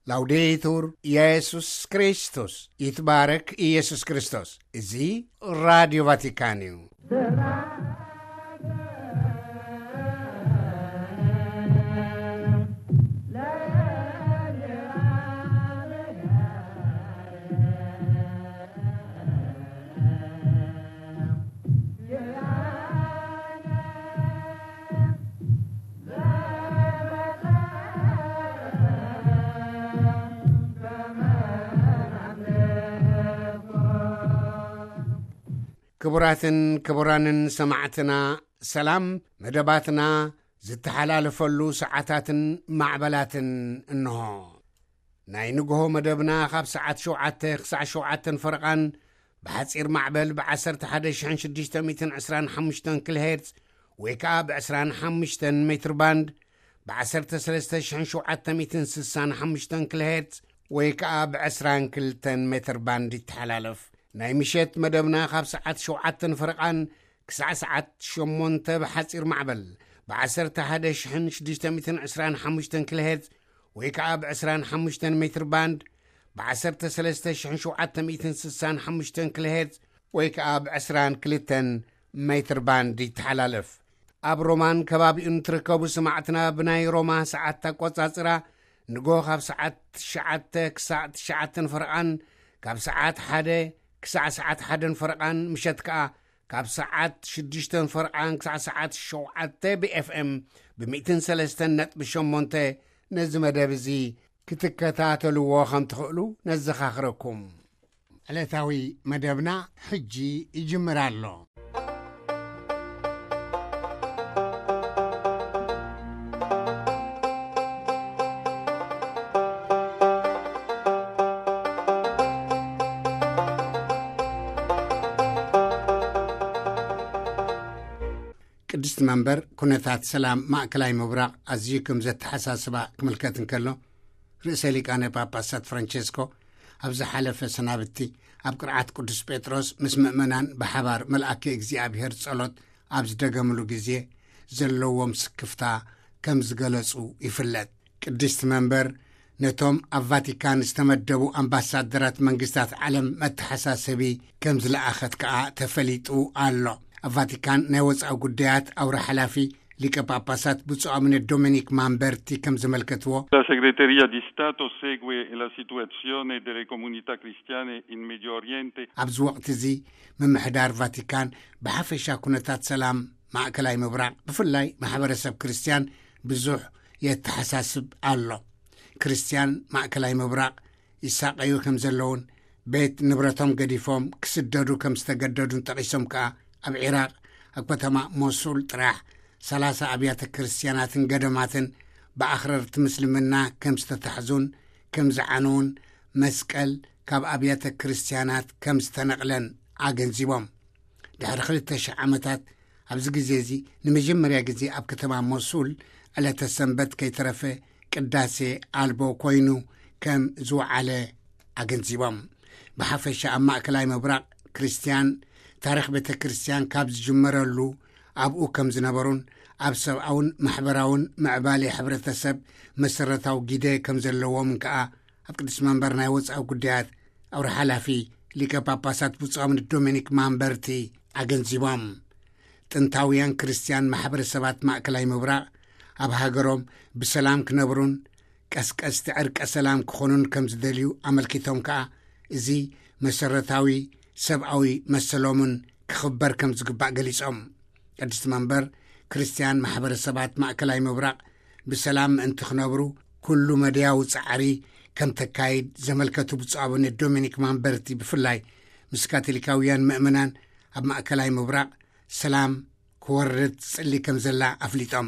ላውዴቱር ኢየሱስ ክርስቶስ፣ ይትባረክ ኢየሱስ ክርስቶስ። እዚ ራዲዮ ቫቲካን እዩ። ክቡራትን ክቡራንን ሰማዕትና፣ ሰላም። መደባትና ዝተሓላለፈሉ ሰዓታትን ማዕበላትን እንሆ። ናይ ንግሆ መደብና ካብ ሰዓት ሸውዓተ ክሳዕ ሸውዓተን ፈረቓን ብሓጺር ማዕበል ብ11,625 ኪሎ ሄርትዝ ወይ ከኣ ብ25 ሜትር ባንድ፣ ብ13,765 ኪሎ ሄርትዝ ወይ ከኣ ብ22 ሜትር ባንድ ይተሓላለፍ። ናይ ምሸት መደብና ካብ ሰዓት ሸውዓተን ፈረቓን ክሳዕ ሰዓት ሸሞንተ ብሓጺር ማዕበል ብ11,625 ኪሎ ሄርትዝ ወይ ከኣ ብ25 ሜትር ባንድ፣ ብ13,765 ኪሎ ሄርትዝ ወይ ከኣ ብ22 ሜትር ባንድ ይተሓላለፍ። ኣብ ሮማን ከባቢኡን ትርከቡ ሰማዕትና፣ ብናይ ሮማ ሰዓት ኣቆጻጽራ ንጎ ካብ ሰዓት ትሽዓተ ክሳዕ ትሽዓተን ፈረቓን፣ ካብ ሰዓት ሓደ ክሳዕ ሰዓት ሓደን ፈረቓን፣ ምሸት ከኣ ካብ ሰዓት ሽዱሽተን ፈረቓን ክሳዕ ሰዓት ሸውዓተ ብ ኤፍ ኤም ብ103.8 ነዚ መደብ እዚ ክትከታተልዎ ከም ትኽእሉ ነዘኻኽረኩም። ዕለታዊ መደብና ሕጂ ይጅምር ኣሎ። ቅድስቲ መንበር ኩነታት ሰላም ማእከላይ ምብራቕ ኣዝዩ ከም ዘተሓሳስባ ክምልከት እንከሎ፣ ርእሰ ሊቃነ ጳጳሳት ፍራንቸስኮ ኣብ ዝሓለፈ ሰናብቲ ኣብ ቅርዓት ቅዱስ ጴጥሮስ ምስ ምእመናን ብሓባር መልኣከ እግዚኣብሔር ጸሎት ኣብ ዝደገምሉ ግዜ ዘለዎም ስክፍታ ከም ዝገለጹ ይፍለጥ። ቅድስቲ መንበር ነቶም ኣብ ቫቲካን ዝተመደቡ ኣምባሳደራት መንግስታት ዓለም መተሓሳሰቢ ከም ዝለኣኸት ከኣ ተፈሊጡ ኣሎ። ኣብ ቫቲካን ናይ ወጻኢ ጉዳያት ኣውራ ሓላፊ ሊቀ ጳጳሳት ብፁዕ ኣቡነ ዶሚኒክ ማምበርቲ ከም ዘመልከትዎ፣ La segreteria di Stato segue la situazione delle comunità cristiane in Medio Oriente። ኣብዚ ወቕቲ እዚ ምምሕዳር ቫቲካን ብሓፈሻ ኩነታት ሰላም ማእከላይ ምብራቕ፣ ብፍላይ ማሕበረሰብ ክርስትያን ብዙሕ የተሓሳስብ ኣሎ። ክርስትያን ማእከላይ ምብራቕ ይሳቐዩ ከም ዘለውን ቤት ንብረቶም ገዲፎም ክስደዱ ከም ዝተገደዱን ጠቒሶም ከኣ፣ ኣብ ዒራቕ ኣብ ከተማ ሞሱል ጥራሕ ሰላሳ ኣብያተ ክርስትያናትን ገዳማትን ብኣኽረርቲ ምስልምና ከም ዝተታሕዙን ከም ዝዓነዉን፣ መስቀል ካብ ኣብያተ ክርስትያናት ከም ዝተነቕለን ኣገንዚቦም። ድሕሪ ክልተ ሽሕ ዓመታት ኣብዚ ግዜ እዚ ንመጀመርያ ግዜ ኣብ ከተማ ሞሱል ዕለተ ሰንበት ከይተረፈ ቅዳሴ ኣልቦ ኮይኑ ከም ዝወዓለ ኣገንዚቦም። ብሓፈሻ ኣብ ማእከላይ ምብራቕ ክርስትያን ታሪኽ ቤተ ክርስትያን ካብ ዝጅመረሉ ኣብኡ ከም ዝነበሩን ኣብ ሰብኣውን ማሕበራውን ምዕባሌ ሕብረተሰብ መሰረታዊ ግደ ከም ዘለዎም ከኣ ኣብ ቅድስቲ መንበር ናይ ወጻኢ ጉዳያት ኣውራ ሓላፊ ሊቀ ጳጳሳት ብፁዕ ኣቡነ ዶሚኒክ ማምበርቲ ኣገንዚቦም። ጥንታውያን ክርስትያን ማሕበረሰባት ማእከላይ ምብራቕ ኣብ ሃገሮም ብሰላም ክነብሩን ቀስቀስቲ ዕርቀ ሰላም ክኾኑን ከም ዝደልዩ ኣመልኪቶም ከኣ፣ እዚ መሰረታዊ ሰብኣዊ መሰሎምን ክኽበር ከም ዝግባእ ገሊጾም። ቅድስቲ መንበር ክርስትያን ማሕበረሰባት ማእከላይ ምብራቕ ብሰላም ምእንቲ ክነብሩ ኩሉ መድያዊ ጻዕሪ ከም ተካይድ ዘመልከቱ ብፁዕ ኣቡነ ዶሚኒክ ማምበርቲ፣ ብፍላይ ምስ ካቶሊካውያን ምእመናን ኣብ ማእከላይ ምብራቕ ሰላም ክወርድ ትጽሊ ከም ዘላ ኣፍሊጦም።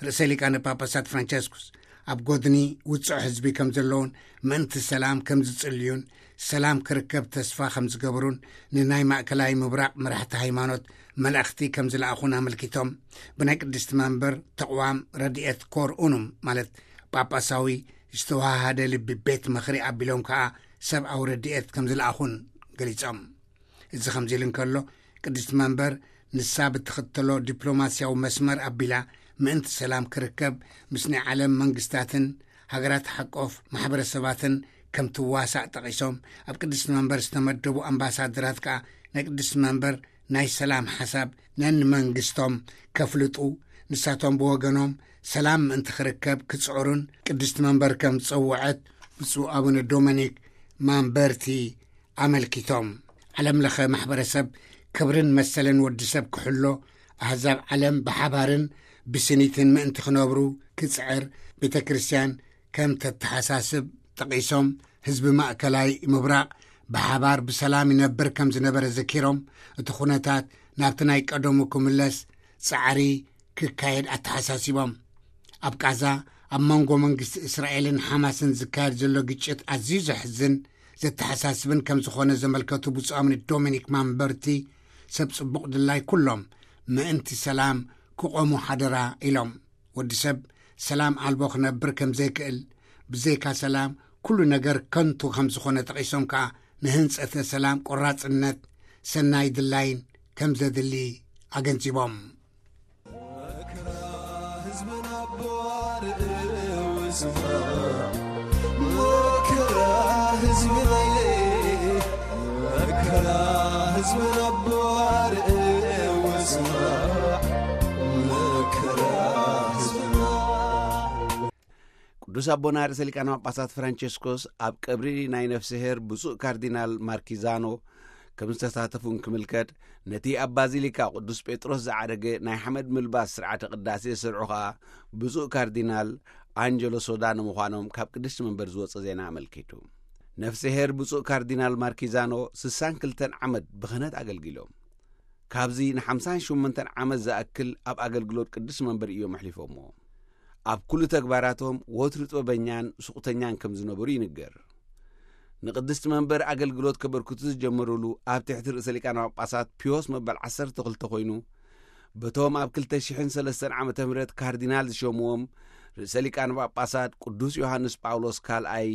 ርእሰ ሊቃነ ጳጳሳት ፍራንቸስኩስ ኣብ ጎድኒ ውጹዕ ህዝቢ ከም ዘለውን ምእንቲ ሰላም ከም ዝጽልዩን ሰላም ክርከብ ተስፋ ከም ዝገብሩን ንናይ ማእከላይ ምብራቕ መራሕቲ ሃይማኖት መልእኽቲ ከም ዝለኣኹን ኣመልኪቶም፣ ብናይ ቅድስቲ መንበር ተቕዋም ረድኤት ኮር ኡኑም፣ ማለት ጳጳሳዊ ዝተዋሃደ ልቢ ቤት ምኽሪ ኣቢሎም ከኣ ሰብኣዊ ረድኤት ከም ዝለኣኹን ገሊጾም። እዚ ከምዚ ኢሉ እንከሎ፣ ቅድስቲ መንበር ንሳ ብትኽተሎ ዲፕሎማስያዊ መስመር ኣቢላ ምእንቲ ሰላም ክርከብ ምስ ናይ ዓለም መንግስታትን ሃገራት ሓቆፍ ማሕበረሰባትን ከም ትዋሳእ ጠቒሶም፣ ኣብ ቅድስቲ መንበር ዝተመደቡ ኣምባሳደራት ከኣ ናይ ቅድስቲ መንበር ናይ ሰላም ሓሳብ ነንመንግስቶም ከፍልጡ፣ ንሳቶም ብወገኖም ሰላም ምእንቲ ክርከብ ክጽዕሩን ቅድስቲ መንበር ከም ዝጸውዐት ብፁዕ ኣቡነ ዶሚኒክ ማምበርቲ ኣመልኪቶም። ዓለም ለኸ ማሕበረሰብ ክብርን መሰልን ወዲ ሰብ ክሕሎ፣ ኣህዛብ ዓለም ብሓባርን ብስኒትን ምእንቲ ክነብሩ ክጽዕር፣ ቤተ ክርስቲያን ከም ተተሓሳስብ ጠቒሶም፣ ህዝቢ ማእከላይ ምብራቕ ብሓባር ብሰላም ይነብር ከም ዝነበረ ዘኪሮም፣ እቲ ኩነታት ናብቲ ናይ ቀደሙ ክምለስ ጻዕሪ ክካየድ ኣተሓሳሲቦም። ኣብ ቃዛ ኣብ መንጎ መንግስቲ እስራኤልን ሓማስን ዝካየድ ዘሎ ግጭት ኣዝዩ ዘሕዝን ዘተሓሳስብን ከም ዝኾነ ዘመልከቱ ብፁዕ ኣቡነ ዶሚኒክ ማምበርቲ፣ ሰብ ጽቡቕ ድላይ ኩሎም ምእንቲ ሰላም ክቖሙ ሓደራ ኢሎም። ወዲ ሰብ ሰላም ኣልቦ ክነብር ከም ዘይክእል፣ ብዘይካ ሰላም ኩሉ ነገር ከንቱ ከም ዝኾነ ጠቒሶም ከኣ፣ ንህንጸተ ሰላም ቆራጽነት፣ ሰናይ ድላይን ከም ዘድሊ ኣገንዚቦም። መከራ ህዝብና ኣቦ ኣርእው ስማ፣ መከራ ህዝብና፣ መከራ ህዝብና ኣቦ ኣርእው ስማ፣ መከራ ህዝብና። ቅዱስ ኣቦና ርእሰ ሊቃነ ጳጳሳት ፍራንቸስኮስ ኣብ ቀብሪ ናይ ነፍስሄር ብፁዕ ካርዲናል ማርኪዛኖ ከም ዝተሳተፉ እንክምልከት፣ ነቲ ኣብ ባዚሊካ ቅዱስ ጴጥሮስ ዝዓረገ ናይ ሓመድ ምልባስ ስርዓተ ቅዳሴ ዝሰርዑ ኸኣ ብፁዕ ካርዲናል ኣንጀሎ ሶዳኖ ምዃኖም ካብ ቅድስቲ መንበር ዝወጸ ዜና ኣመልኪቱ። ነፍስሄር ብፁዕ ካርዲናል ማርኪዛኖ ስሳን ክልተን ዓመት ብኽህነት ኣገልጊሎም። ካብዚ ንሓምሳን ሸሞንተን ዓመት ዝኣክል ኣብ ኣገልግሎት ቅድስቲ መንበር እዮም ኣሕሊፎምዎ። ኣብ ኩሉ ተግባራቶም ወትሩ ጥበበኛን ሱቕተኛን ከም ዝነበሩ ይንገር። ንቅድስቲ መንበር ኣገልግሎት ከበርክቱ ዝጀመሩሉ ኣብ ትሕቲ ርእሰ ሊቃነ ጳጳሳት ፒዮስ መበል ዓሰርተ ክልተ ኮይኑ፣ በቶም ኣብ ክልተ ሽሕን ሰለስተን ዓመተ ምህረት ካርዲናል ዝሸምዎም ርእሰ ሊቃነ ጳጳሳት ቅዱስ ዮሃንስ ጳውሎስ ካልኣይ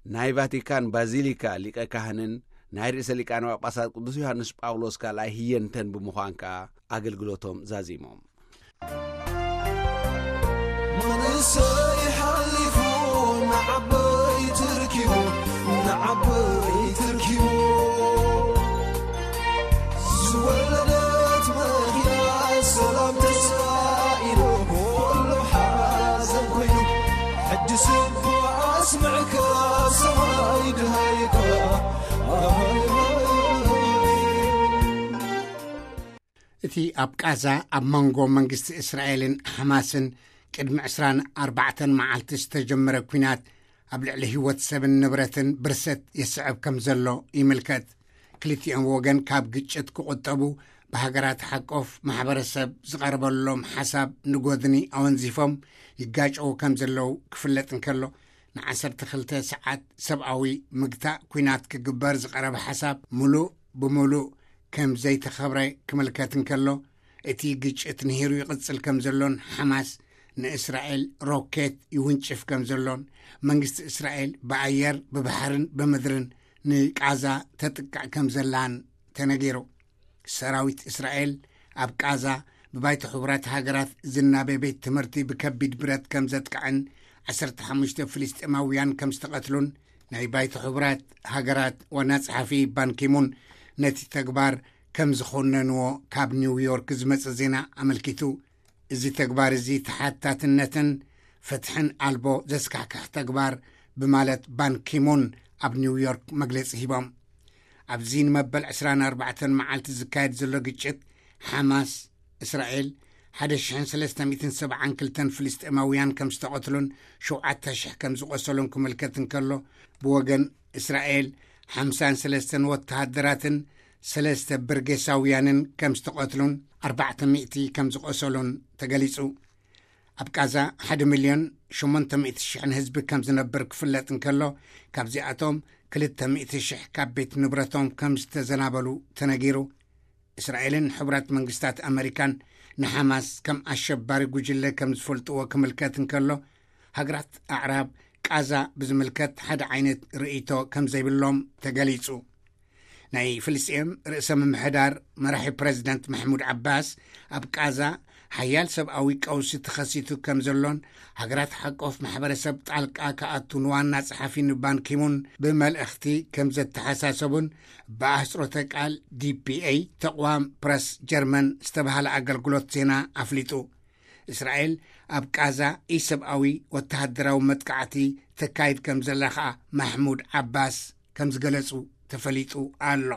ናይ ቫቲካን ባዚሊካ ሊቀ ካህንን ናይ ርእሰ ሊቃነ ጳጳሳት ቅዱስ ዮሃንስ ጳውሎስ ካልኣይ ህየንተን ብምዃን ከኣ ኣገልግሎቶም ዛዚሞም። መንእሰይ ሓሊፉ ንዓበይቲ ርኪቡ፣ ንዓበይቲ ርኪቡ። ዝወለደት መኪና ሰላም ተስፋ ኢሉ፣ ኩሉ ሓዘን ኮይኑ። ሕጂ ስቡሕ ኣስምዕካ ሰማይ ድሃይካ። እቲ ኣብ ቃዛ ኣብ መንጎ መንግስቲ እስራኤልን ሓማስን ቅድሚ ዕስራን ኣርባዕተን መዓልቲ ዝተጀመረ ኲናት ኣብ ልዕሊ ህይወት ሰብን ንብረትን ብርሰት የስዕብ ከም ዘሎ ይምልከት። ክልቲኦም ወገን ካብ ግጭት ክቑጠቡ ብሃገራት ሓቆፍ ማሕበረሰብ ዝቐረበሎም ሓሳብ ንጎድኒ ኣወንዚፎም ይጋጨዉ ከም ዘለዉ ክፍለጥ እንከሎ፣ ንዓሰርተ ክልተ ሰዓት ሰብኣዊ ምግታእ ኲናት ክግበር ዝቐረበ ሓሳብ ምሉእ ብምሉእ ከም ዘይተኸብረ ክምልከት እንከሎ፣ እቲ ግጭት ንሂሩ ይቕጽል ከም ዘሎን ሓማስ ንእስራኤል ሮኬት ይውንጭፍ ከም ዘሎን፣ መንግስቲ እስራኤል ብኣየር ብባሕርን ብምድርን ንቃዛ ተጥቅዕ ከም ዘላን ተነጊሩ። ሰራዊት እስራኤል ኣብ ቃዛ ብባይቶ ሕቡራት ሃገራት ዝናበ ቤት ትምህርቲ ብከቢድ ብረት ከም ዘጥቅዐን ዓሰርተ ሓሙሽተ ፍልስጤማውያን ከም ዝተቐትሉን ናይ ባይቶ ሕቡራት ሃገራት ዋና ጸሓፊ ባንኪሙን ነቲ ተግባር ከም ዝኾነንዎ ካብ ኒውዮርክ ዝመጸ ዜና ኣመልኪቱ። እዚ ተግባር እዚ ተሓታትነትን ፍትሕን ኣልቦ ዘስካሕክሕ ተግባር ብማለት ባንኪሙን ኣብ ኒውዮርክ መግለጺ ሂቦም። ኣብዚ ንመበል ዕስራን ኣርባዕተን መዓልቲ ዝካየድ ዘሎ ግጭት ሓማስ፣ እስራኤል፣ ሓደ ሽሕን ሰለስተ ሚእትን ሰብዓን ክልተን ፍልስጤማውያን ከም ዝተቐትሉን ሸውዓተ ሽሕ ከም ዝቖሰሉን ክምልከት እንከሎ፣ ብወገን እስራኤል ሓምሳን ሰለስተን ወተሃደራትን ሰለስተ ብርጌሳውያንን ከም ዝተቐትሉን ኣርባዕተ ሚእቲ ከም ዝቖሰሉን ተገሊጹ። ኣብ ቃዛ ሓደ ሚልዮን ሸሞንተ ሚእቲ ሽሕን ህዝቢ ከም ዝነብር ክፍለጥ እንከሎ፣ ካብዚኣቶም ክልተ ሚእቲ ሽሕ ካብ ቤት ንብረቶም ከም ዝተዘናበሉ ተነጊሩ። እስራኤልን ሕቡራት መንግስታት ኣመሪካን ንሓማስ ከም ኣሸባሪ ጉጅለ ከም ዝፈልጥዎ ክምልከት እንከሎ፣ ሃገራት ኣዕራብ ቃዛ ብዝምልከት ሓደ ዓይነት ርእይቶ ከም ዘይብሎም ተገሊጹ። ናይ ፍልስጤም ርእሰ ምምሕዳር መራሒ ፕረዚደንት ማሕሙድ ዓባስ፣ ኣብ ቃዛ ሓያል ሰብኣዊ ቀውሲ ተኸሲቱ ከም ዘሎን፣ ሃገራት ሓቆፍ ማሕበረሰብ ጣልቃ ክኣቱ ንዋና ጸሓፊ ንባን ኪሙን ብመልእኽቲ ከም ዘተሓሳሰቡን፣ ብኣህጽሮተ ቃል ዲ ፒ ኤ፣ ተቕዋም ፕረስ ጀርመን ዝተባህለ ኣገልግሎት ዜና ኣፍሊጡ። እስራኤል ኣብ ቃዛ ኢሰብኣዊ ወተሃደራዊ መጥቃዕቲ ተካይድ ከም ዘላ ኸኣ ማሕሙድ ዓባስ ከም ዝገለጹ ተፈሊጡ ኣሎ።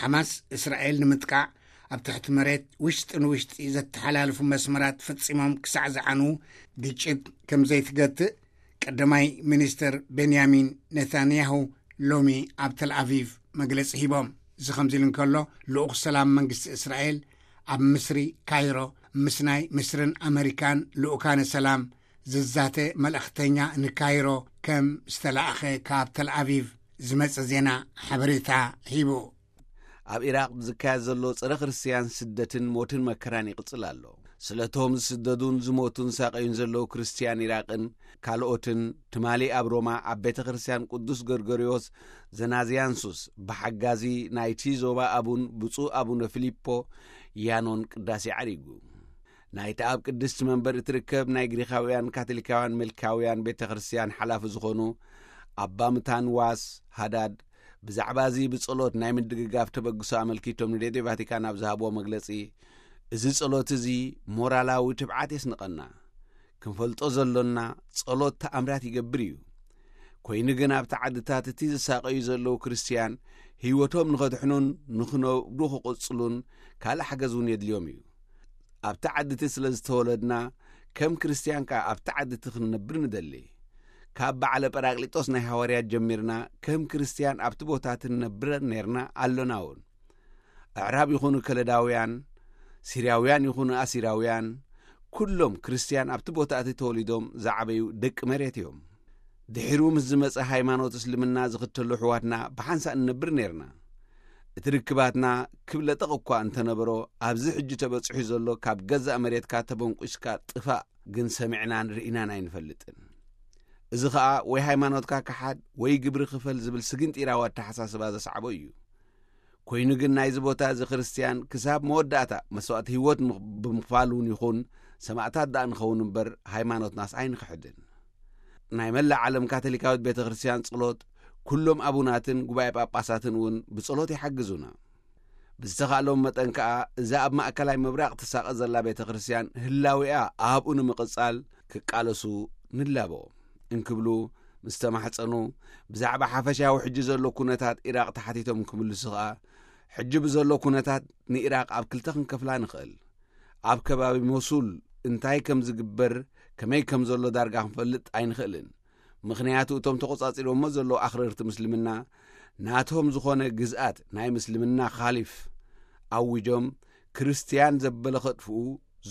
ሓማስ እስራኤል ንምጥቃዕ ኣብ ትሕቲ መሬት ውሽጢ ንውሽጢ ዘተሓላልፉ መስመራት ፈጺሞም ክሳዕ ዝዓኑ፣ ግጭት ከም ዘይትገትእ ቀዳማይ ሚኒስትር ቤንያሚን ኔታንያሁ ሎሚ ኣብ ተልኣቪቭ መግለጺ ሂቦም። እዚ ከምዚ ኢሉ እንከሎ፣ ልኡኽ ሰላም መንግስቲ እስራኤል ኣብ ምስሪ ካይሮ ምስ ናይ ምስርን ኣመሪካን ልኡካነ ሰላም ዝዛተ መልእኽተኛ ንካይሮ ከም ዝተላእኸ ካብ ተልኣቪቭ ዝመጸ ዜና ሓበሬታ ሂቡ። ኣብ ኢራቕ ዝካየድ ዘሎ ጸረ ክርስትያን ስደትን ሞትን መከራን ይቕጽል ኣሎ። ስለቶም ዝስደዱን ዝሞቱን ሳቐዩን ዘለዉ ክርስትያን ኢራቕን ካልኦትን፣ ትማሊ ኣብ ሮማ ኣብ ቤተ ክርስትያን ቅዱስ ገርገርዮስ ዘናዝያንሱስ ብሓጋዚ ናይቲ ዞባ ኣቡን ብፁዕ ኣቡነ ፊሊፖ ያኖን ቅዳሴ ዓሪጉ። ናይቲ ኣብ ቅድስቲ መንበር እትርከብ ናይ ግሪኻውያን ካቶሊካውያን መልካውያን ቤተ ክርስትያን ሓላፊ ዝኾኑ ኣባ ምታንዋስ ሃዳድ፣ ብዛዕባ እዚ ብጸሎት ናይ ምድግጋፍ ተበግሶ ኣመልኪቶም ንሬድዮ ቫቲካን ኣብ ዝሃብዎ መግለጺ፣ "እዚ ጸሎት እዚ ሞራላዊ ትብዓት የስንቐና። ክንፈልጦ ዘሎና፣ ጸሎት ተኣምራት ይገብር እዩ። ኮይኑ ግን ኣብቲ ዓድታት እቲ ዝሳቐዩ ዘለዉ ክርስትያን ህይወቶም ንኸድሕኑን ንኽነብሩ ክቕጽሉን ካልእ ሓገዝ እውን የድልዮም እዩ። ኣብቲ ዓዲ እቲ ስለ ዝተወለድና፣ ከም ክርስትያን ከኣ ኣብቲ ዓዲ እቲ ክንነብር ንደሊ። ካብ በዓለ ጳራቅሊጦስ ናይ ሃዋርያት ጀሚርና፣ ከም ክርስትያን ኣብቲ ቦታ እቲ ንነብር ኔርና፣ ኣሎና እውን። ኣዕራብ ይኹኑ ከለዳውያን፣ ሲርያውያን ይኹኑ ኣሲራውያን፣ ኩሎም ክርስትያን ኣብቲ ቦታ እቲ ተወሊዶም ዝዓበዩ ደቂ መሬት እዮም። ድሒሩ ምስ ዝመጸ ሃይማኖት እስልምና ዝኽተሉ ኣሕዋትና ብሓንሳእ ንነብር ኔርና። እቲ ርክባትና ክብለጠቕ እኳ እንተነበሮ፣ ኣብዚ ሕጂ ተበጺሑ ዘሎ ካብ ገዛእ መሬትካ ተበንቂስካ ጥፋእ ግን ሰሚዕናን ርኢናን ኣይንፈልጥን። እዚ ኸኣ ወይ ሃይማኖትካ ክሓድ ወይ ግብሪ ክፈል ዝብል ስግንጢራዊ ኣተሓሳስባ ዘስዓቦ እዩ። ኮይኑ ግን ናይዚ ቦታ እዚ ክርስትያን ክሳብ መወዳእታ መስዋእቲ ህይወት ምኽ-፣ ብምኽፋል እውን ይኹን ሰማእታት ደኣ ንኸውን እምበር ሃይማኖትናስ ኣይንኽሕድን። ናይ መላእ ዓለም ካቶሊካዊት ቤተ ክርስትያን ጸሎት፣ ኩሎም ኣቡናትን ጉባኤ ጳጳሳትን እውን ብጸሎት ይሓግዙና። ብዝተኻእሎም መጠን ከኣ እዛ ኣብ ማእከላይ ምብራቕ ትሳቐ ዘላ ቤተ ክርስትያን ህላዌኣ ኣብኡ ንምቕጻል ክቃለሱ ንላቦ እንክብሉ ምስ ተማሕጸኑ፣ ብዛዕባ ሓፈሻዊ ሕጂ ዘሎ ኩነታት ኢራቕ ተሓቲቶም ክምልሱ ከኣ፣ ሕጂ ብዘሎ ኩነታት ንኢራቕ ኣብ ክልተ ክንከፍላ ንኽእል። ኣብ ከባቢ ሞሱል እንታይ ከም ዝግበር፣ ከመይ ከም ዘሎ ዳርጋ ክንፈልጥ ኣይንኽእልን። ምኽንያቱ እቶም ተቖጻጺሮሞ ዘለዉ ኣኽረርቲ ምስልምና ናቶም ዝኾነ ግዝኣት ናይ ምስልምና ካሊፍ ኣዊጆም፣ ክርስትያን ዘበለ ከጥፍኡ፣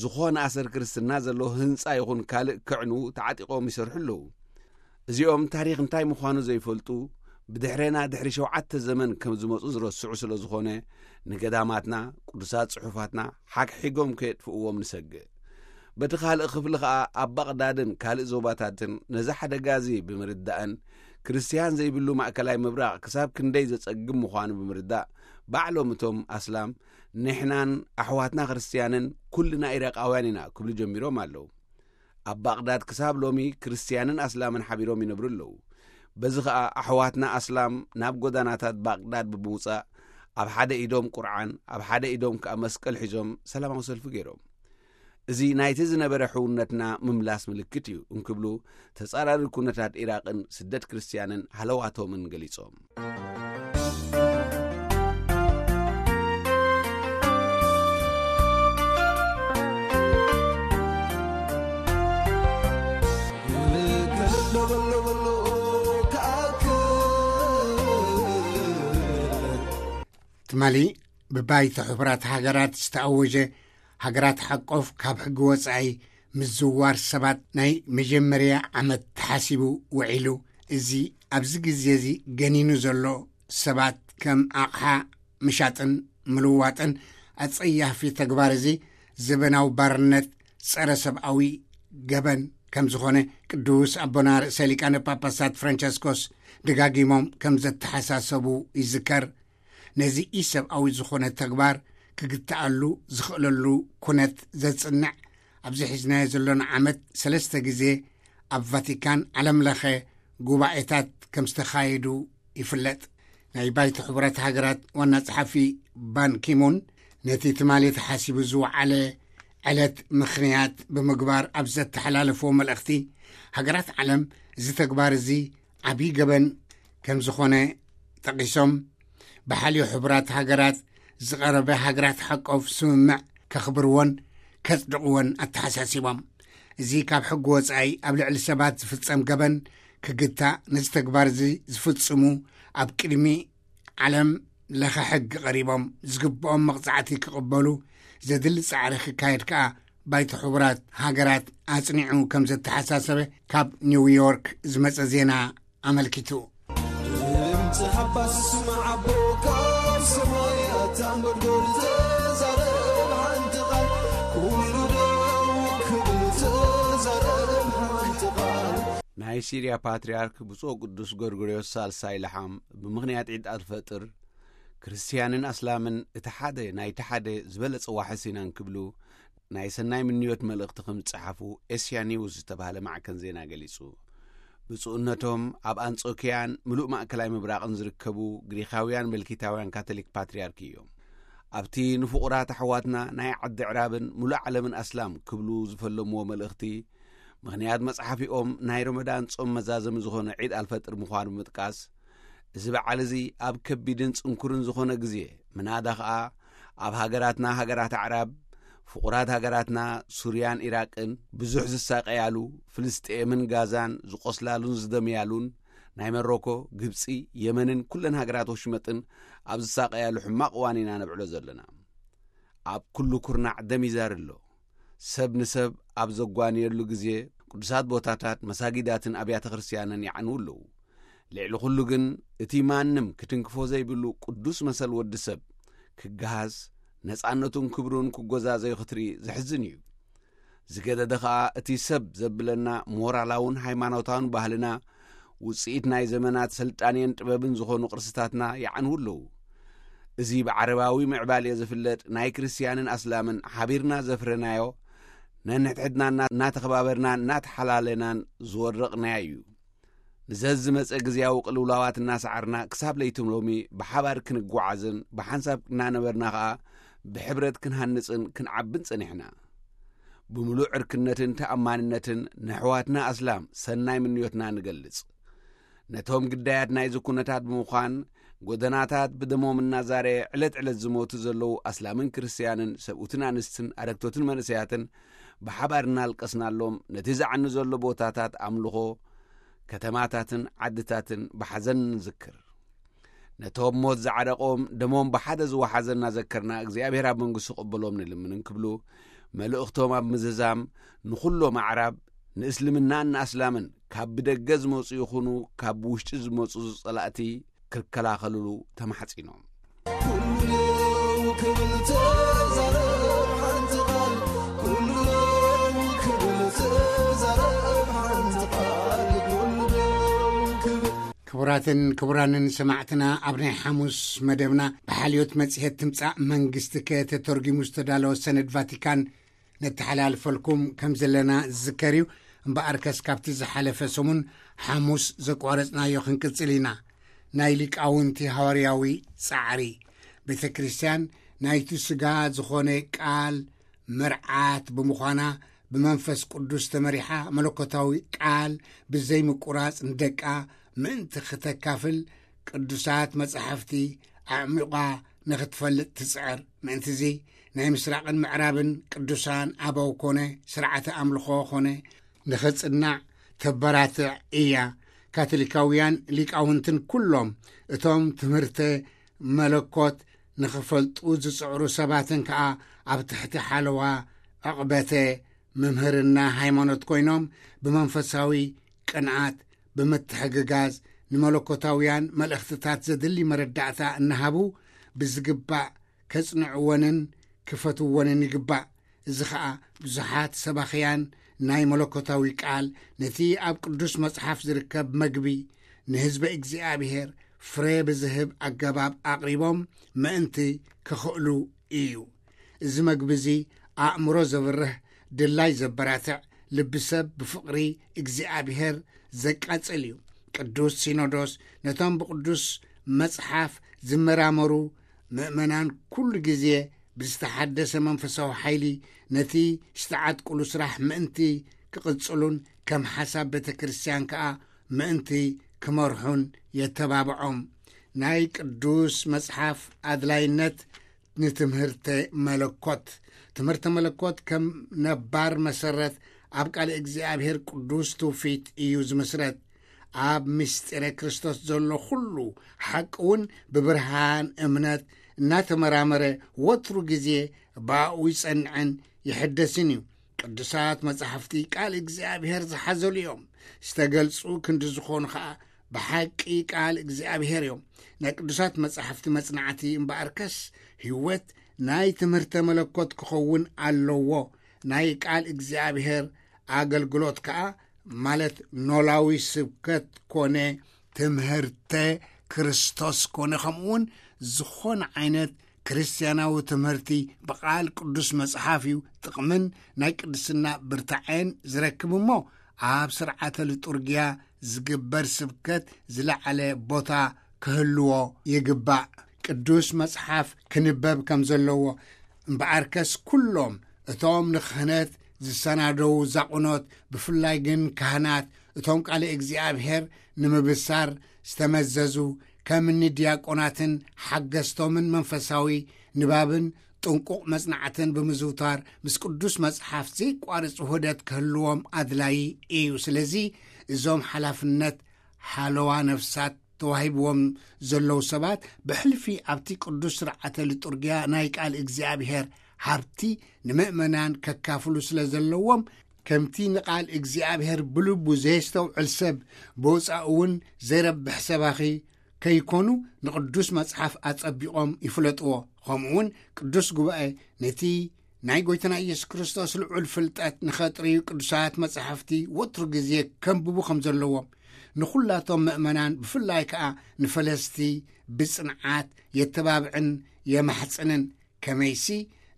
ዝኾነ ኣሰር ክርስትና ዘለዎ ህንጻ ይኹን ካልእ ከዕንዉ ተዓጢቖም ይሰርሑ ኣለዉ። እዚኦም ታሪኽ እንታይ ምዃኑ ዘይፈልጡ፣ ብድሕሬና ድሕሪ ሸውዓተ ዘመን ከም ዝመጹ ዝረስዑ ስለ ዝኾነ፣ ንገዳማትና፣ ቅዱሳት ጽሑፋትና ሓግሒጎም ከየጥፍእዎም ንሰግእ። በቲ ካልእ ክፍሊ ኸኣ ኣብ ባቕዳድን ካልእ ዞባታትን ነዚ ሓደጋ እዚ ብምርዳእን፣ ክርስትያን ዘይብሉ ማእከላይ ምብራቕ ክሳብ ክንደይ ዘጸግም ምዃኑ ብምርዳእ፣ ባዕሎም እቶም ኣስላም፣ "ንሕናን ኣሕዋትና ክርስትያንን ኩልና ኢራቃውያን ኢና" ክብሉ ጀሚሮም ኣለዉ። ኣብ ባቕዳድ ክሳብ ሎሚ ክርስትያንን ኣስላምን ሓቢሮም ይነብሩ ኣለዉ። በዚ ኸኣ ኣሕዋትና ኣስላም ናብ ጎዳናታት ባቕዳድ ብምውጻእ፣ ኣብ ሓደ ኢዶም ቁርዓን፣ ኣብ ሓደ ኢዶም ከኣ መስቀል ሒዞም ሰላማዊ ሰልፊ ገይሮም። እዚ ናይቲ ዝነበረ ሕውነትና ምምላስ ምልክት እዩ እንክብሉ፣ ተጻራሪ ኩነታት ኢራቕን ስደት ክርስትያንን ሃለዋቶምን ገሊጾም። ትማሊ ብባይቶ ሕቡራት ሃገራት ዝተኣወጀ ሃገራት ሓቆፍ ካብ ሕጊ ወጻኢ ምዝዋር ሰባት ናይ መጀመርያ ዓመት ተሓሲቡ ውዒሉ። እዚ ኣብዚ ግዜ እዚ ገኒኑ ዘሎ ሰባት ከም ኣቕሓ ምሻጥን ምልዋጥን ኣጸያፊ ተግባር እዚ ዘበናዊ ባርነት፣ ጸረ ሰብኣዊ ገበን ከም ዝኾነ ቅዱስ ኣቦና ርእሰ ሊቃነ ጳጳሳት ፍራንቸስኮስ ደጋጊሞም ከም ዘተሓሳሰቡ ይዝከር። ነዚ ኢሰብኣዊ ዝኾነ ተግባር ክግትኣሉ ዝኽእለሉ ኩነት ዘጽንዕ ኣብዚ ሒዝናዮ ዘሎና ዓመት ሰለስተ ግዜ ኣብ ቫቲካን ዓለም ለኸ ጉባኤታት ከም ዝተኻየዱ ይፍለጥ። ናይ ባይቶ ሕቡራት ሃገራት ዋና ጸሓፊ ባን ኪሙን ነቲ ትማሊ ተሓሲቡ ዝወዓለ ዕለት ምኽንያት ብምግባር ኣብ ዘተሓላለፍዎ መልእኽቲ፣ ሃገራት ዓለም እዚ ተግባር እዚ ዓብዪ ገበን ከም ዝኾነ ጠቒሶም፣ ብሓልዮ ሕቡራት ሃገራት ዝቐረበ ሃገራት ሓቆፍ ስምምዕ ከኽብርዎን ከጽድቕዎን ኣተሓሳሲቦም። እዚ ካብ ሕጊ ወጻኢ ኣብ ልዕሊ ሰባት ዝፍጸም ገበን ክግታእ፣ ነዚ ተግባር እዚ ዝፍጽሙ ኣብ ቅድሚ ዓለም ለኸ ሕጊ ቀሪቦም ዝግብኦም መቕጻዕቲ ክቕበሉ ዘድሊ ጻዕሪ ክካየድ ከኣ ባይቶ ሕቡራት ሃገራት ኣጽኒዑ ከም ዘተሓሳሰበ ካብ ኒውዮርክ ዝመጸ ዜና ኣመልኪቱ። ድምፂ ሓባስ ስማዕ ኣቦ ካብ ሰማይ ኣታ እንጎድጎድ ተዛረብ ሓንቲ ቃል ኩሉ ደው ክብል ተዛረብ ሓንቲ ቃል። ናይ ሲርያ ፓትርያርክ ብፁዕ ቅዱስ ጎርጎርዮስ ሳልሳይ ለሓም ብምኽንያት ዒድ ኣልፈጥር ክርስትያንን ኣስላምን እቲ ሓደ ናይቲ ሓደ ዝበለጸ ዋሕስ ኢና እንክብሉ ናይ ሰናይ ምንዮት መልእኽቲ ከም ዝጸሓፉ ኤስያ ኒውስ ዝተባህለ ማዕከን ዜና ገሊጹ። ብፁዕነቶም ኣብ ኣንጾኪያን ምሉእ ማእከላይ ምብራቕን ዝርከቡ ግሪኻውያን መልኪታውያን ካቶሊክ ፓትርያርክ እዮም። ኣብቲ ንፍቑራት ኣሕዋትና ናይ ዓዲ ዕራብን ምሉእ ዓለምን ኣስላም ክብሉ ዝፈለምዎ መልእኽቲ፣ ምኽንያት መጽሓፊኦም ናይ ረመዳን ጾም መዛዘሚ ዝኾነ ዒድ ኣልፈጥር ምዃኑ ብምጥቃስ፣ እዚ በዓል እዚ ኣብ ከቢድን ጽንኩርን ዝኾነ ግዜ፣ ምናዳ ኸኣ ኣብ ሃገራትና ሃገራት ኣዕራብ፣ ፍቑራት ሃገራትና ሱርያን ኢራቅን ብዙሕ ዝሳቀያሉ፣ ፍልስጤምን ጋዛን ዝቆስላሉን ዝደምያሉን፣ ናይ መሮኮ፣ ግብጺ፣ የመንን ኩለን ሃገራት ወሽመጥን ኣብ ዝሳቀያሉ ሕማቕ እዋን ኢና ነብዕሎ ዘለና። ኣብ ኩሉ ኩርናዕ ደም ይዛሪ ኣሎ። ሰብ ንሰብ ኣብ ዘጓንየሉ ግዜ፣ ቅዱሳት ቦታታት፣ መሳጊዳትን ኣብያተ ክርስትያንን ይዓንዉ ኣለዉ። ልዕሊ ኩሉ ግን፣ እቲ ማንም ክትንክፎ ዘይብሉ ቅዱስ መሰል ወዲ ሰብ ክገሃስ፣ ነጻነቱን ክብሩን ክጎዛዘዩ ክትርኢ ዘሕዝን እዩ። ዝገደደ ኸኣ፣ እቲ ሰብ ዘብለና ሞራላውን ሃይማኖታውን ባህልና፣ ውጽኢት ናይ ዘመናት ስልጣኔን ጥበብን ዝኾኑ ቅርስታትና ይዓንዉ ኣለዉ። እዚ ብዓረባዊ ምዕባሌ ዝፍለጥ ናይ ክርስትያንን ኣስላምን ሓቢርና ዘፍረናዮ፣ ነንሕድሕድና እና-፣ እናተኸባበርናን እናተሓላለናን ዝወረቕናዮ እዩ። ንዘዝመጸ ግዜያዊ ቅልውላዋት እናሰዓርና፣ ክሳብ ለይቲ ሎሚ ብሓባር ክንጓዓዝን ብሓንሳብ እናነበርና ኸኣ ብሕብረት ክንሃንጽን ክንዓብን ጸኒሕና። ብምሉእ ዕርክነትን ተኣማንነትን ንኣሕዋትና ኣስላም ሰናይ ምንዮትና ንገልጽ። ነቶም ግዳያት ናይዚ ኩነታት ብምዃን፣ ጎደናታት ብደሞም እናዛረየ ዕለት ዕለት ዝሞቱ ዘለዉ ኣስላምን ክርስትያንን፣ ሰብኡትን ኣንስትን፣ ኣረግቶትን መንእሰያትን ብሓባር እናልቀስናሎም፣ ነቲ ዝዓኑ ዘሎ ቦታታት ኣምልኾ፣ ከተማታትን ዓድታትን ብሓዘን ንዝክር። ነቶም ሞት ዝዓረቖም፣ ደሞም ብሓደ ዝወሓዘ እናዘከርና፣ እግዚኣብሔር ኣብ መንግስቱ ክቕበሎም ንልምን እንክብሉ፣ መልእኽቶም ኣብ ምዝዛም፣ ንኹሎም ኣዕራብ፣ ንእስልምናን ንኣስላምን፣ ካብ ብደገ ዝመጹ ይኹኑ ካብ ውሽጢ ዝመጹ ጸላእቲ፣ ክከላኸልሉ ተማሕጺኖም። ኩሉ ክብል ተዛረብ ሓንቲ ቃል፣ ኩሉ ክብል ተዛረብ ሓንቲ ቃል፣ ኩሉ ክብል። ክቡራትን ክቡራንን ሰማዕትና፣ ኣብ ናይ ሓሙስ መደብና ብሓልዮት መጽሔት ትምጻእ መንግስቲ ከተተርጒሙ ዝተዳለወ ሰነድ ቫቲካን ነተሓላልፈልኩም ከም ዘለና ዝዝከር እዩ። እምበኣርከስ፣ ካብቲ ዝሓለፈ ሰሙን ሓሙስ ዘቋረጽናዮ ክንቅጽል ኢና። ናይ ሊቃውንቲ ሃዋርያዊ ጻዕሪ። ቤተ ክርስቲያን ናይቲ ስጋ ዝኾነ ቃል መርዓት ብምዃና፣ ብመንፈስ ቅዱስ ተመሪሓ፣ መለኮታዊ ቃል ብዘይ ምቁራጽ ንደቃ ምእንቲ ክተካፍል፣ ቅዱሳት መጻሕፍቲ ኣዕሚቓ ንኽትፈልጥ ትጽዕር። ምእንትዚ፣ ናይ ምስራቕን ምዕራብን ቅዱሳን ኣበው ኮነ ስርዓተ ኣምልኾ ኮነ ንኽጽናዕ ተበራትዕ እያ። ካቶሊካውያን ሊቃውንትን ኩሎም እቶም ትምህርተ መለኮት ንኽፈልጡ ዝጽዕሩ ሰባትን ከኣ ኣብ ትሕቲ ሓለዋ ዕቕበተ ምምህርና ሃይማኖት ኮይኖም፣ ብመንፈሳዊ ቅንኣት፣ ብምትሕግጋዝ፣ ንመለኮታውያን መልእኽትታት ዘድሊ መረዳእታ እናሃቡ፣ ብዝግባእ ከጽንዕወንን ክፈትወንን ይግባእ። እዚ ኸኣ፣ ብዙሓት ሰባኽያን ናይ መለኮታዊ ቃል፣ ነቲ ኣብ ቅዱስ መጽሓፍ ዝርከብ መግቢ፣ ንህዝቢ እግዚኣብሔር ፍረ ብዝህብ ኣገባብ ኣቕሪቦም ምእንቲ ክኽእሉ እዩ። እዚ መግቢ እዚ ኣእምሮ ዘብርህ፣ ድላይ ዘበራትዕ፣ ልቢ ሰብ ብፍቕሪ እግዚኣብሔር ዘቃጽል እዩ። ቅዱስ ሲኖዶስ ነቶም ብቅዱስ መጽሓፍ ዝመራመሩ ምእመናን ኩሉ ግዜ ብዝተሓደሰ መንፈሳዊ ሓይሊ ነቲ ዝተዓጥቁሉ ስራሕ ምእንቲ ክቕጽሉን ከም ሓሳብ ቤተ ክርስቲያን ከኣ ምእንቲ ክመርሑን የተባብዖም። ናይ ቅዱስ መጽሓፍ ኣድላይነት ንትምህርተ መለኮት። ትምህርተ መለኮት ከም ነባር መሰረት ኣብ ቃል እግዚኣብሔር ቅዱስ ትውፊት እዩ ዝምስረት። ኣብ ምስጢረ ክርስቶስ ዘሎ ኩሉ ሓቂ እውን ብብርሃን እምነት እናተመራመረ ወትሩ ግዜ ብኣኡ ይጸንዕን ይሕደስን እዩ። ቅዱሳት መጻሕፍቲ ቃል እግዚኣብሔር ዝሓዘሉ እዮም። ዝተገልጹ ክንዲ ዝኾኑ ኸኣ ብሓቂ ቃል እግዚኣብሔር እዮም። ናይ ቅዱሳት መጻሕፍቲ መጽናዕቲ እምበኣርከስ ህይወት ናይ ትምህርተ መለኮት ክኸውን ኣለዎ። ናይ ቃል እግዚኣብሔር ኣገልግሎት ከኣ ማለት ኖላዊ ስብከት ኮነ ትምህርተ ክርስቶስ ኮነ ከምኡውን ዝኾነ ዓይነት ክርስትያናዊ ትምህርቲ ብቃል ቅዱስ መጽሓፍ እዩ ጥቕምን ናይ ቅድስና ብርታዐን ዝረክብ እሞ ኣብ ስርዓተ ሊጡርጊያ ዝግበር ስብከት ዝለዓለ ቦታ ክህልዎ ይግባእ። ቅዱስ መጽሓፍ ክንበብ ከም ዘለዎ እምበኣርከስ ኩሎም እቶም ንክህነት ዝሰናደዉ ዛቑኖት ብፍላይ ግን ካህናት እቶም ቃለ እግዚኣብሔር ንምብሳር ዝተመዘዙ ከም እኒ ዲያቆናትን ሓገዝቶምን መንፈሳዊ ንባብን ጥንቁቕ መጽናዕትን ብምዝውታር ምስ ቅዱስ መጽሓፍ ዘይቋርጽ ውህደት ክህልዎም ኣድላዪ እዩ። ስለዚ እዞም ሓላፍነት ሓለዋ ነፍሳት ተዋሂብዎም ዘለዉ ሰባት ብሕልፊ ኣብቲ ቅዱስ ስርዓተ ሊጡርጊያ ናይ ቃል እግዚኣብሔር ሃብቲ ንምእመናን ከካፍሉ ስለ ዘለዎም ከምቲ ንቃል እግዚኣብሔር ብልቡ ዘየስተውዕል ሰብ ብወጻኡ እውን ዘይረብሕ ሰባኺ ከይኮኑ ንቅዱስ መጽሓፍ ኣጸቢቖም ይፍለጥዎ። ከምኡ እውን ቅዱስ ጉባኤ ነቲ ናይ ጎይታና ኢየሱስ ክርስቶስ ልዑል ፍልጠት ንኸጥርዩ ቅዱሳት መጻሕፍቲ ወትሩ ግዜ ከንብቡ ከም ዘለዎም ንኹላቶም ምእመናን ብፍላይ ከኣ ንፈለስቲ ብጽንዓት የተባብዕን የማሕጽንን። ከመይሲ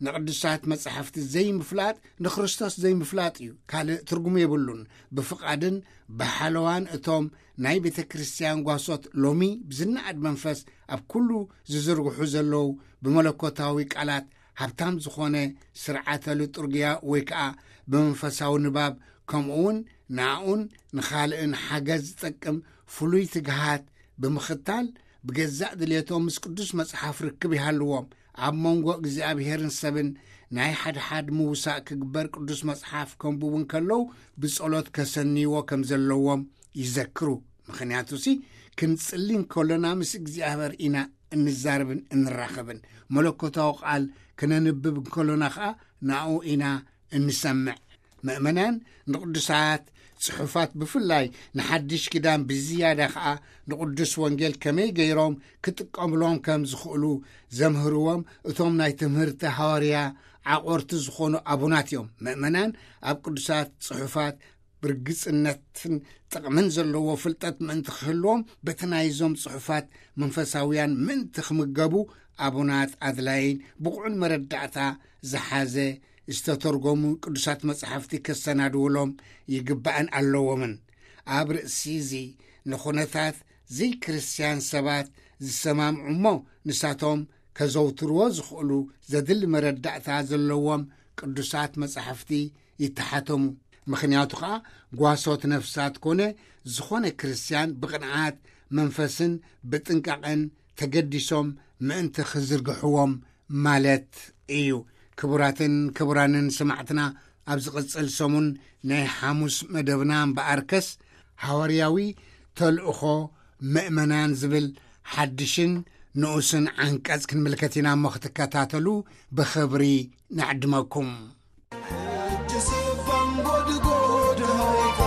ንቅዱሳት መጻሕፍቲ ዘይምፍላጥ ንክርስቶስ ዘይምፍላጥ እዩ፣ ካልእ ትርጉም የብሉን። ብፍቓድን ብሓለዋን እቶም ናይ ቤተ ክርስቲያን ጓሶት ሎሚ ብዝነኣድ መንፈስ ኣብ ኩሉ ዝዝርግሑ ዘለዉ ብመለኮታዊ ቃላት ሃብታም ዝኾነ ስርዓተ ሊጡርጊያ ወይ ከኣ ብመንፈሳዊ ንባብ ከምኡ እውን ንኣኡን ንኻልእን ሓገዝ ዝጠቅም ፍሉይ ትግሃት ብምኽታል ብገዛእ ድሌቶም ምስ ቅዱስ መጽሓፍ ርክብ ይሃልዎም። ኣብ መንጎ እግዚኣብሔርን ሰብን ናይ ሓድሓድ ምውሳእ ክግበር ቅዱስ መጽሓፍ ከንብቡ እንከለዉ ብጸሎት ከሰንይዎ ከም ዘለዎም ይዘክሩ። ምኽንያቱሲ ክንጽሊ እንከሎና ምስ እግዚኣብሔር ኢና እንዛረብን እንራኸብን። መለኮታዊ ቃል ክነንብብ እንከሎና ኸኣ ናኡ ኢና እንሰምዕ። ምእመናን ንቅዱሳት ጽሑፋት ብፍላይ ንሓድሽ ኪዳን ብዝያዳ ኸኣ ንቅዱስ ወንጌል ከመይ ገይሮም ክጥቀምሎም ከም ዝኽእሉ ዘምህርዎም እቶም ናይ ትምህርቲ ሃዋርያ ዓቆርቲ ዝኾኑ ኣቡናት እዮም። ምእመናን ኣብ ቅዱሳት ጽሑፋት ብርግጽነትን ጥቕምን ዘለዎ ፍልጠት ምእንቲ ክህልዎም በቲ ናይዞም ጽሑፋት መንፈሳውያን ምእንቲ ክምገቡ ኣቡናት ኣድላይን ብቑዕን መረዳእታ ዝሓዘ ዝተተርጎሙ ቅዱሳት መጻሕፍቲ ከሰናድውሎም ይግባእን ኣለዎምን። ኣብ ርእሲ እዚ ንኹነታት ዘይክርስትያን ሰባት ዝሰማምዑ እሞ ንሳቶም ከዘውትርዎ ዝኽእሉ ዘድሊ መረዳእታ ዘለዎም ቅዱሳት መጻሕፍቲ ይተሓተሙ። ምኽንያቱ ኸኣ ጓሶት ነፍሳት ኮነ ዝኾነ ክርስትያን ብቕንዓት መንፈስን ብጥንቃቐን ተገዲሶም ምእንቲ ክዝርግሕዎም ማለት እዩ። ክቡራትን ክቡራንን ሰማዕትና ኣብ ዝቕጽል ሰሙን ናይ ሓሙስ መደብና እምበኣርከስ ሃዋርያዊ ተልእኾ ምእመናን ዝብል ሓድሽን ንኡስን ዓንቀጽ ክንምልከት ኢና እሞ ክትከታተሉ ብኽብሪ ንዕድመኩም። ሕጂ ስባን ጎድጎድ ሃይካ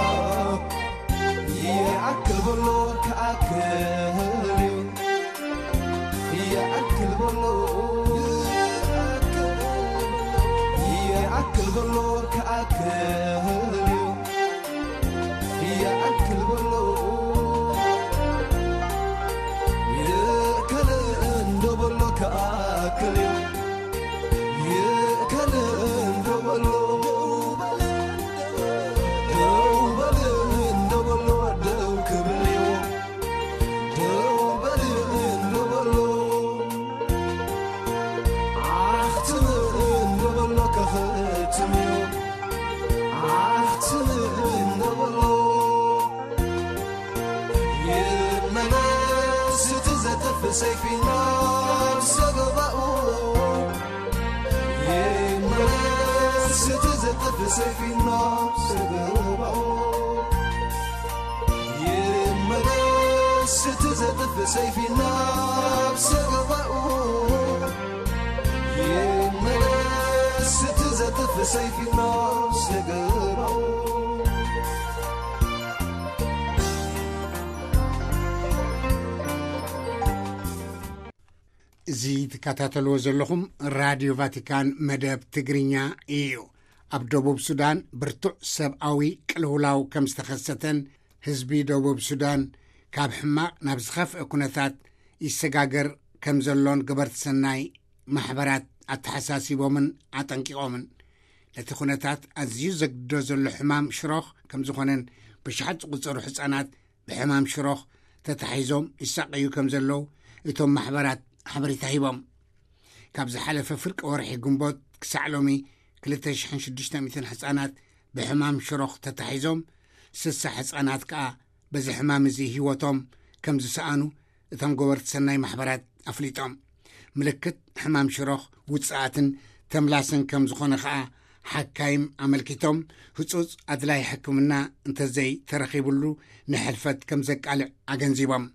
ይኣክል በሎ ክኣክል እዩ። ይኣክል በሎ ይኣክል በሎ ክኣክል እዩ። ይኣክል በሎ ይእከል እንዶ በሎ ክኣክል እዩ። ይእከል እንዶ ሰይፊ ናብ ሰገባኡ ይመለስ፣ እቲ ዘጥፍ ሰይፊ ናብ ሰገባኡ ይመለስ፣ እቲ ዘጥፍ ሰይፊ ናብ ሰገባኡ ይመለስ፣ እቲ ዘጥፍ ሰይፊ ናብ ሰገባኡ። እዚ ትከታተልዎ ዘለኹም ራድዮ ቫቲካን መደብ ትግርኛ እዩ። ኣብ ደቡብ ሱዳን ብርቱዕ ሰብኣዊ ቅልውላው ከም ዝተኸሰተን ህዝቢ ደቡብ ሱዳን ካብ ሕማቕ ናብ ዝኸፍአ ኩነታት ይሰጋገር ከም ዘሎን ገበርቲ ሰናይ ማሕበራት ኣተሓሳሲቦምን ኣጠንቂቖምን። ነቲ ኩነታት ኣዝዩ ዘግድዶ ዘሎ ሕማም ሽሮኽ ከም ዝኾነን ብሽሓት ዝቑጸሩ ህጻናት ብሕማም ሽሮኽ ተታሒዞም ይሳቐዩ ከም ዘለዉ እቶም ማሕበራት ሓበሬታ ሂቦም። ካብ ዝሓለፈ ፍርቂ ወርሒ ግንቦት ክሳዕ ሎሚ ክልተ ሽሕን ሽዱሽተ ሚእትን ህጻናት ብሕማም ሽሮኽ ተታሒዞም፣ ስሳ ህጻናት ከኣ በዚ ሕማም እዚ ህይወቶም ከም ዝሰኣኑ እቶም ገበርቲ ሰናይ ማሕበራት ኣፍሊጦም። ምልክት ሕማም ሽሮኽ ውጽኣትን ተምላስን ከም ዝኾነ ከኣ ሓካይም ኣመልኪቶም፣ ህጹጽ ኣድላይ ሕክምና እንተዘይ ተረኺቡሉ ንሕልፈት ከም ዘቃልዕ ኣገንዚቦም።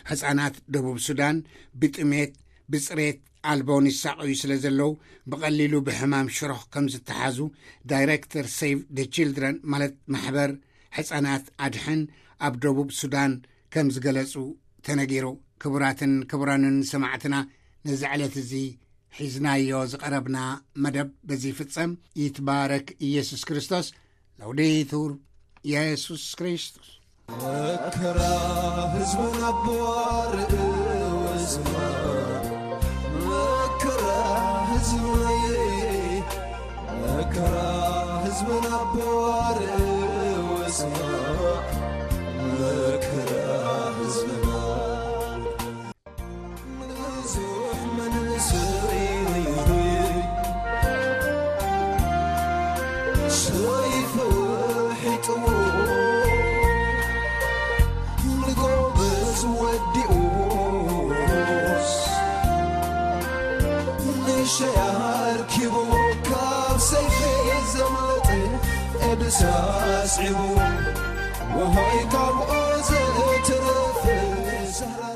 ህጻናት ደቡብ ሱዳን ብጥሜት፣ ብጽሬት ኣልቦን ይሳቐዩ ስለ ዘለዉ ብቐሊሉ ብሕማም ሽሮኽ ከም ዝተሓዙ ዳይሬክተር ሴቭ ደ ቺልድረን ማለት ማሕበር ሕጻናት ኣድሕን ኣብ ደቡብ ሱዳን ከም ዝገለጹ ተነጊሩ። ክቡራትን ክቡራንን ሰማዕትና፣ ነዚ ዕለት እዚ ሒዝናዮ ዝቐረብና መደብ በዚ ይፍጸም። ይትባረክ ኢየሱስ ክርስቶስ። ለውዴቱር ኢየሱስ ክርስቶስ። መከራ ህዝብና ብዋር እወዝማ፣ መከራ ህዝብና፣ መከራ ህዝብና ብዋር እወዝማ፣ መከራ ህዝብና። ብዙሕ መንእሰይ ሰይፉ ሒጥዎ፣ ንጎበዝ ወዲኡስ፣ ንሸያ ኣርኪቡ፣ ካብ ሰይፊ ዘምለጠ ኤድስ ኣስዒቡ፣ ወሆይ ካብኡ ዘእትረፍ ሰህራ